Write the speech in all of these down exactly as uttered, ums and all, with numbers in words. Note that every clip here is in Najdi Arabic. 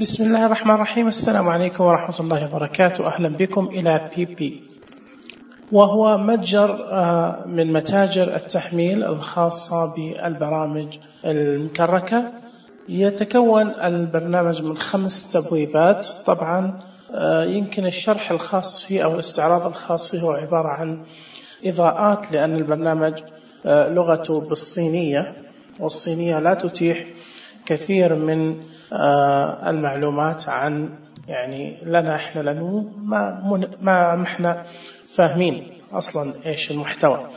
بسم الله الرحمن الرحيم. السلام عليكم ورحمة الله وبركاته. أهلا بكم إلى بي بي، وهو متجر من متاجر التحميل الخاصة بالبرامج المكركة. يتكون البرنامج من خمس تبويبات. طبعا يمكن الشرح الخاص فيه أو الاستعراض الخاص فيه هو عبارة عن إضاءات، لأن البرنامج لغته بالصينية، والصينية لا تتيح كثير من المعلومات عن يعني لنا احنا، لانه ما ما احنا فاهمين اصلا ايش المحتوى.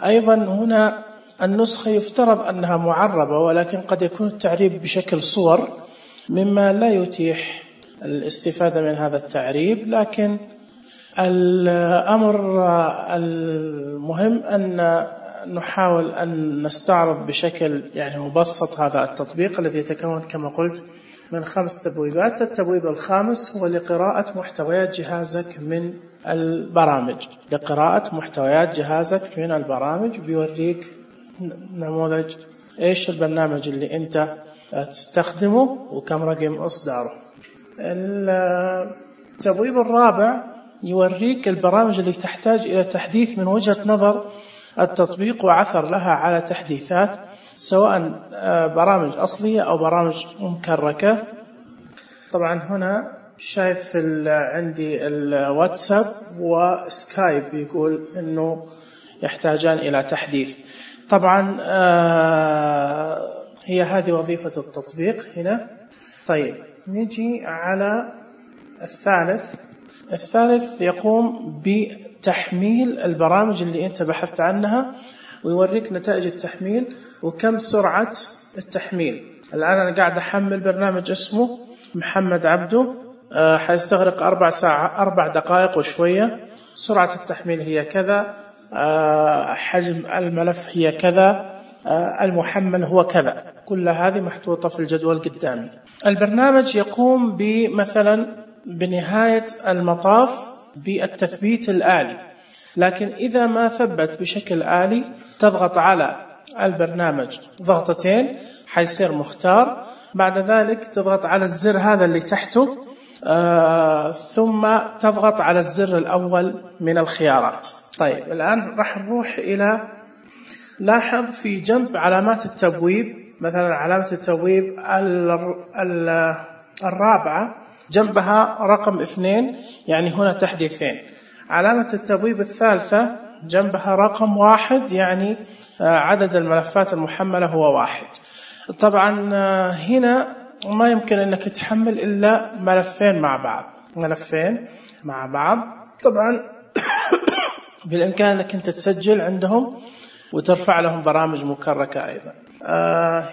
ايضا هنا النسخة يفترض انها معربة، ولكن قد يكون التعريب بشكل صور مما لا يتيح الاستفادة من هذا التعريب. لكن الامر المهم ان نحاول أن نستعرض بشكل يعني مبسط هذا التطبيق الذي يتكون كما قلت من خمس تبويبات. التبويب الخامس هو لقراءة محتويات جهازك من البرامج. لقراءة محتويات جهازك من البرامج بيوريك نموذج إيش البرنامج اللي أنت تستخدمه وكم رقم إصداره. التبويب الرابع يوريك البرامج اللي تحتاج إلى تحديث من وجهة نظر التطبيق وعثر لها على تحديثات، سواء برامج أصلية أو برامج مكركة. طبعا هنا شايف عندي الواتساب وسكايب يقول أنه يحتاجان إلى تحديث. طبعا هي هذه وظيفة التطبيق هنا. طيب نجي على الثالث. الثالث يقوم بتحميل البرامج اللي أنت بحثت عنها، ويوريك نتائج التحميل وكم سرعة التحميل. الآن أنا قاعد أحمل برنامج اسمه محمد عبده، أه حيستغرق أربع ساعات أربع دقائق وشوية. سرعة التحميل هي كذا، أه حجم الملف هي كذا، أه المحمل هو كذا. كل هذه محطوطة في الجدول قدامي. البرنامج يقوم بمثلا بنهاية المطاف بالتثبيت الآلي، لكن إذا ما ثبت بشكل آلي تضغط على البرنامج ضغطتين حيصير مختار. بعد ذلك تضغط على الزر هذا اللي تحته، آه ثم تضغط على الزر الأول من الخيارات. طيب الآن راح نروح إلى، لاحظ في جنب علامات التبويب، مثلا علامة التبويب الرابعة جنبها رقم اثنين، يعني هنا تحديثين. علامة التبويب الثالثة جنبها رقم واحد، يعني عدد الملفات المحملة هو واحد. طبعا هنا ما يمكن أنك تحمل إلا ملفين مع بعض، ملفين مع بعض. طبعا بالإمكان أنك أنت تسجل عندهم وترفع لهم برامج مكركة أيضا.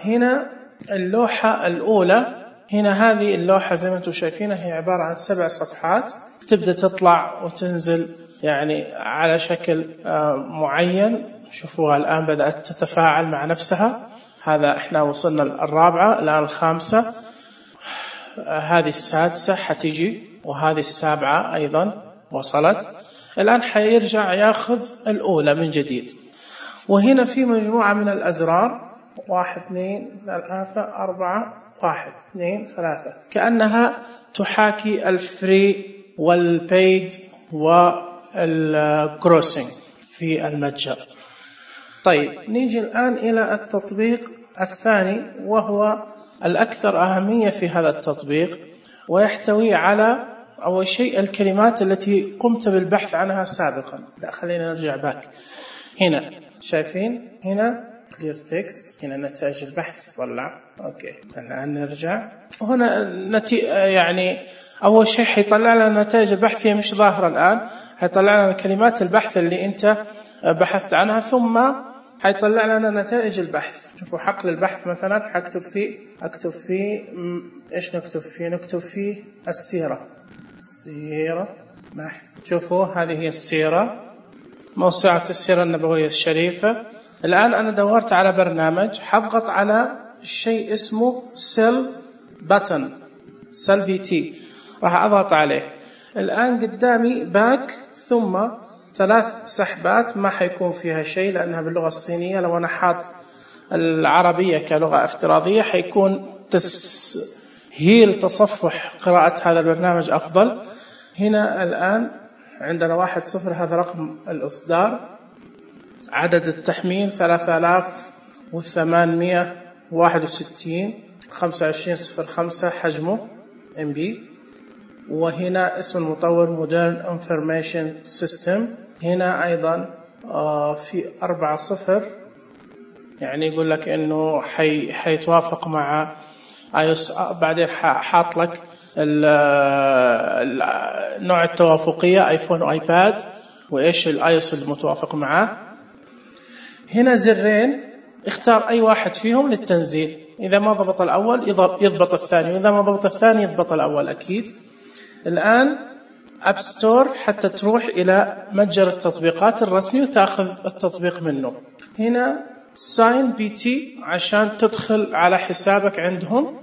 هنا اللوحة الأولى، هنا هذه اللوحة زي ما انتم شايفينها هي عبارة عن سبع صفحات، تبدأ تطلع وتنزل يعني على شكل معين. شوفوها الآن بدأت تتفاعل مع نفسها. هذا احنا وصلنا الرابعة، الآن الخامسة، هذه السادسة حتيجي، وهذه السابعة أيضا وصلت. الآن حيرجع ياخذ الأولى من جديد. وهنا في مجموعة من الأزرار، واحد اثنين ثلاثة أربعة، واحد اثنين ثلاثة، كأنها تحاكي الفري والبيد والكروسنج في المتجر. طيب نيجي الآن إلى التطبيق الثاني، وهو الأكثر أهمية في هذا التطبيق، ويحتوي على أول شيء الكلمات التي قمت بالبحث عنها سابقا. لا خلينا نرجع باك. هنا شايفين هنا clear text، هنا نتائج البحث طلع. اوكي الآن نرجع. هنا نتي يعني أول شيء حيطلع لنا نتائج البحث، هي مش ظاهرة الآن. حيطلع لنا كلمات البحث اللي أنت بحثت عنها، ثم حيطلع لنا نتائج البحث. شوفوا حقل البحث مثلا حكتب فيه، أكتب فيه إيش نكتب فيه؟ نكتب فيه السيرة، سيرة بحث. شوفوا هذه هي السيرة، موسوعة السيرة النبوية الشريفة. الآن أنا دورت على برنامج، حضغط على شيء اسمه سيل باتن، سيل بي تي، راح أضغط عليه. الآن قدامي باك، ثم ثلاث سحبات ما حيكون فيها شيء لأنها باللغة الصينية. لو أنا حاط العربية كلغة افتراضية حيكون تس هي لتصفح قراءة هذا البرنامج أفضل. هنا الآن عندنا واحد صفر، هذا رقم الإصدار. عدد التحميل ثلاثة آلاف وثمانمائة وواحد وستين خمسة وعشرين صفر خمسة حجمه إم بي. وهنا اسم المطور Modern Information System. هنا أيضا آه في أربعة صفر، يعني يقول لك إنه حي حيتوافق مع آيوس. بعدين حاط لك نوع التوافقية آيفون وآيباد وإيش الآيوس المتوافق معه. هنا زرين، اختار أي واحد فيهم للتنزيل. إذا ما ضبط الأول يضبط الثاني، وإذا ما ضبط الثاني يضبط الأول أكيد. الآن أب ستور حتى تروح إلى متجر التطبيقات الرسمي وتأخذ التطبيق منه. هنا ساين بي تي عشان تدخل على حسابك عندهم.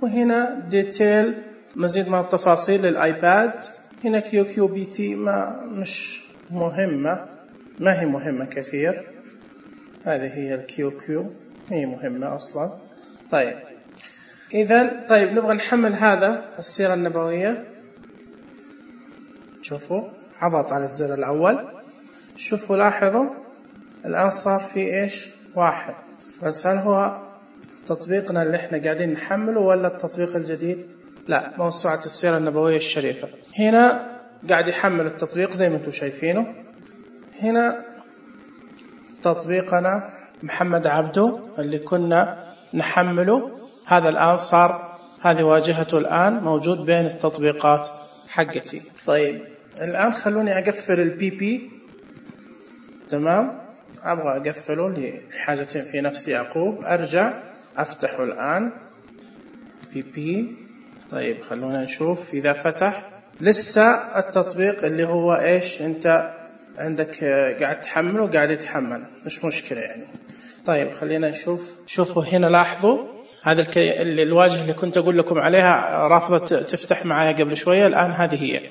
وهنا ديتيل مزيد من التفاصيل للآيباد. هنا كيو كيو بي تي ما مش مهمة، ما هي مهمة كثير. هذه هي الكيو كيو، هي مهمة أصلا. طيب إذن طيب نبغى نحمل هذا السيرة النبوية. شوفوا عضغط على الزر الأول، شوفوا لاحظوا الآن صار في إيش واحد. بس هل هو تطبيقنا اللي احنا قاعدين نحمله ولا التطبيق الجديد؟ لا، موسوعة السيرة النبوية الشريفة. هنا قاعد يحمل التطبيق زي ما انتم شايفينه. هنا تطبيقنا محمد عبده اللي كنا نحمله، هذا الآن صار، هذه واجهته الآن موجود بين التطبيقات حقتي. طيب الآن خلوني أقفل البي بي. تمام، أبغى أقفله لحاجتين في نفس يعقوب. أرجع أفتحه الآن بي بي. طيب خلونا نشوف إذا فتح. لسه التطبيق اللي هو إيش أنت عندك قاعد تحمله قاعد يتحمل، مش مشكلة يعني. طيب خلينا نشوف. شوفوا هنا لاحظوا هذا الكي... الواجهة اللي كنت أقول لكم عليها رافضة تفتح معايا قبل شوية، الآن هذه هي.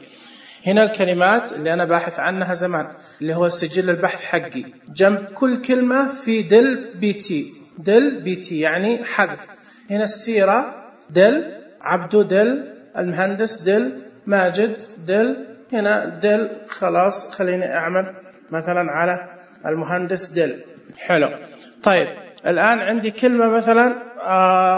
هنا الكلمات اللي أنا باحث عنها زمان اللي هو سجل البحث حقي، جنب كل كلمة في دل بي تي. دل بي تي يعني حذف. هنا السيرة دل، عبدو دل، المهندس دل، ماجد دل. هنا دل خلاص، خليني أعمل مثلا على المهندس دل. حلو. طيب الآن عندي كلمة مثلا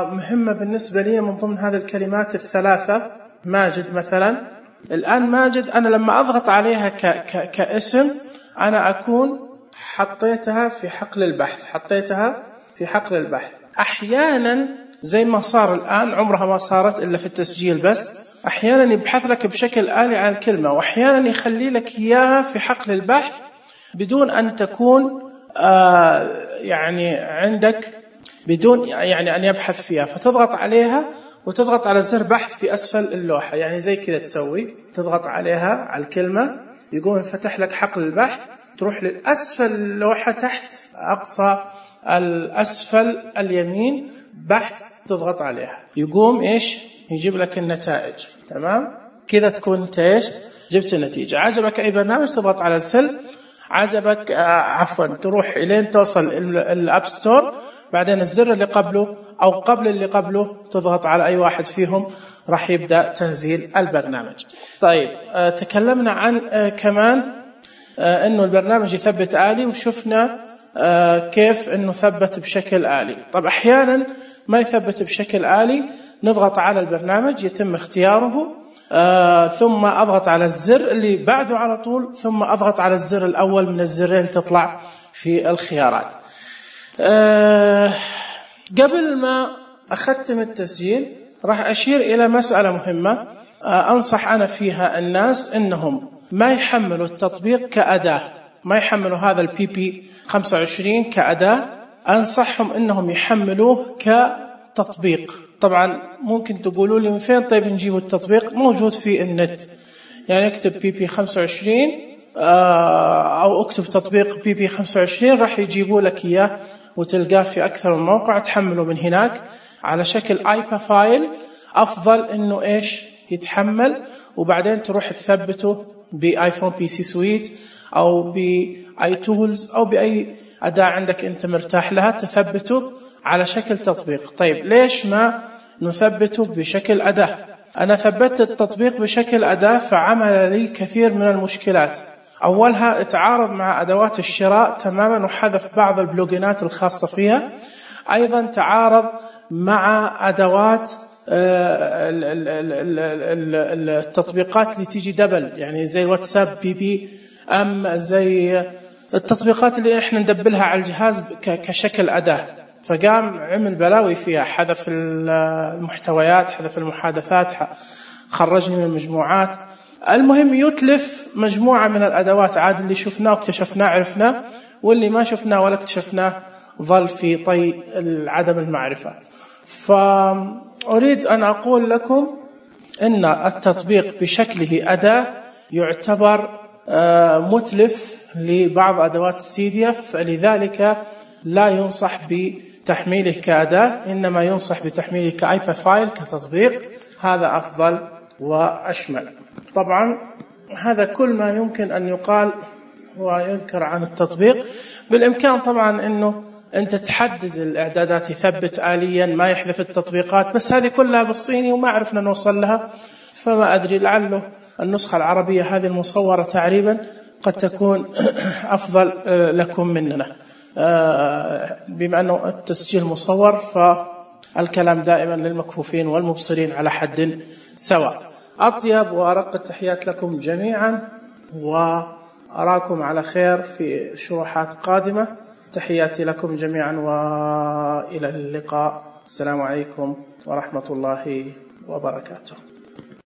مهمة بالنسبة لي من ضمن هذه الكلمات الثلاثة، ماجد مثلا. الآن ماجد أنا لما أضغط عليها ك ك كاسم أنا أكون حطيتها في حقل البحث، حطيتها في حقل البحث. أحيانا زي ما صار الآن، عمرها ما صارت إلا في التسجيل بس، أحيانا يبحث لك بشكل آلي عن الكلمة، وأحيانا يخلي لك إياها في حقل البحث بدون أن تكون آه يعني عندك، بدون يعني أن يبحث فيها. فتضغط عليها وتضغط على زر بحث في أسفل اللوحة، يعني زي كذا تسوي، تضغط عليها على الكلمة يقوم يفتح لك حقل البحث. تروح للأسفل اللوحة تحت أقصى الأسفل اليمين بحث، تضغط عليها يقوم إيش يجيب لك النتائج. تمام كذا تكون انت إيش جبت النتيجة. عجبك أي برنامج تضغط على السل، عجبك آه عفوا تروح إلين توصل الأب ستور، بعدين الزر اللي قبله أو قبل اللي قبله تضغط على أي واحد فيهم راح يبدأ تنزيل البرنامج. طيب آه تكلمنا عن آه كمان آه إنه البرنامج يثبت آلي، وشفنا آه كيف إنه ثبت بشكل آلي. طب أحيانا ما يثبت بشكل آلي، نضغط على البرنامج يتم اختياره آه ثم أضغط على الزر اللي بعده على طول، ثم أضغط على الزر الأول من الزرين اللي تطلع في الخيارات. آه قبل ما أختم التسجيل راح أشير إلى مسألة مهمة آه أنصح أنا فيها الناس إنهم ما يحملوا التطبيق كأداة، ما يحملوا هذا البي بي خمسة وعشرين كأداة. أنصحهم إنهم يحملوه كتطبيق. طبعا ممكن تقولوا لي من فين طيب نجيب التطبيق؟ موجود في النت، يعني اكتب بي بي خمسة وعشرين أو اكتب تطبيق بي بي خمسة وعشرين راح يجيبوا لك إياه وتلقاه في أكثر من موقع، تحمله من هناك على شكل آيبا فايل. أفضل إنه إيش يتحمل وبعدين تروح تثبته بآيفون بي سي سويت أو بآي تولز أو بأي أداة عندك أنت مرتاح لها، تثبته على شكل تطبيق. طيب ليش ما نثبته بشكل أداة. أنا ثبتت التطبيق بشكل أداة فعمل لي كثير من المشكلات. أولها اتعارض مع أدوات الشراء تماما وحذف بعض البلوجينات الخاصة فيها. أيضا تعارض مع أدوات التطبيقات اللي تيجي دبل، يعني زي واتساب بي بي أم، زي التطبيقات اللي إحنا ندبلها على الجهاز كشكل أداة. فقام عمل بلاوي فيها، حذف المحتويات، حذف المحادثات، خرجني من المجموعات. المهم يتلف مجموعة من الأدوات. عاد اللي شفناه واكتشفناه عرفناه، واللي ما شفناه ولا اكتشفناه ظل في طي عدم المعرفة. فأريد أن أقول لكم إن التطبيق بشكله أداة يعتبر متلف لبعض أدوات السي دي إف، فلذلك لا ينصح بتحميله كأداة، إنما ينصح بتحميله كأيبا فايل كتطبيق. هذا أفضل وأشمل. طبعا هذا كل ما يمكن أن يقال ويذكر عن التطبيق. بالإمكان طبعا أنه أنت تحدد الإعدادات، يثبت آليا، ما يحذف التطبيقات، بس هذه كلها بالصيني وما عرفنا نوصل لها. فما أدري، لعله النسخة العربية هذه المصورة تعريبا قد تكون أفضل لكم مننا، بما أنه التسجيل مصور فالكلام دائما للمكفوفين والمبصرين على حد سواء. أطيب وأرق التحيات لكم جميعا، وأراكم على خير في شروحات قادمة. تحياتي لكم جميعا وإلى اللقاء. السلام عليكم ورحمة الله وبركاته.